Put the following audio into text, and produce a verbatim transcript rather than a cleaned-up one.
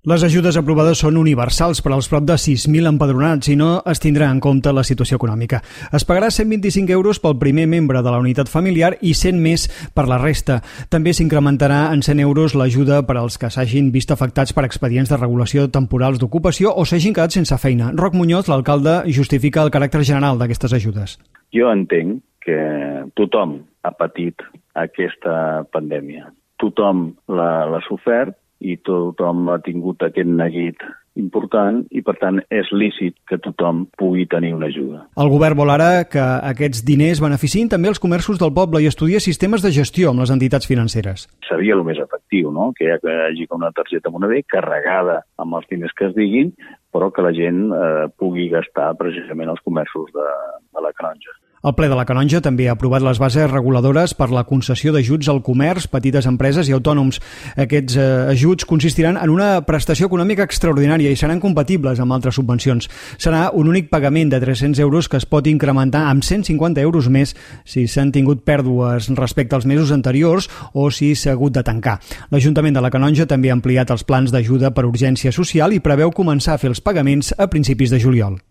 Les ajudes aprovades són universals per als prop de sis mil empadronats i no es tindrà en compte la situació econòmica. Es pagarà cent vint-i-cinc euros pel primer membre de la unitat familiar i cent més per la resta. També s'incrementarà en cent euros l'ajuda per als que s'hagin vist afectats per expedients de regulació temporals d'ocupació o s'hagin quedat sense feina. Roc Muñoz, l'alcalde, justifica el caràcter general d'aquestes ajudes. Jo entenc que tothom ha patit aquesta pandèmia. Tothom l'ha sofert i tothom ha tingut aquest neguit important i, per tant, és lícit que tothom pugui tenir una ajuda. El govern vol ara que aquests diners beneficiïn també els comerços del poble i estudia sistemes de gestió amb les entitats financeres. Seria el més efectiu, no?, que hi hagi una targeta Moneder carregada amb els diners que es diguin, però que la gent eh, pugui gastar precisament els comerços de, de la Canonja. El ple de la Canonja també ha aprovat les bases reguladores per la concessió d'ajuts al comerç, petites empreses i autònoms. Aquests eh, ajuts consistiran en una prestació econòmica extraordinària i seran compatibles amb altres subvencions. Serà un únic pagament de tres-cents euros que es pot incrementar amb cent cinquanta euros més si s'han tingut pèrdues respecte als mesos anteriors o si s'ha hagut de tancar. L'Ajuntament de la Canonja també ha ampliat els plans d'ajuda per urgència social i preveu començar a fer els pagaments a principis de juliol.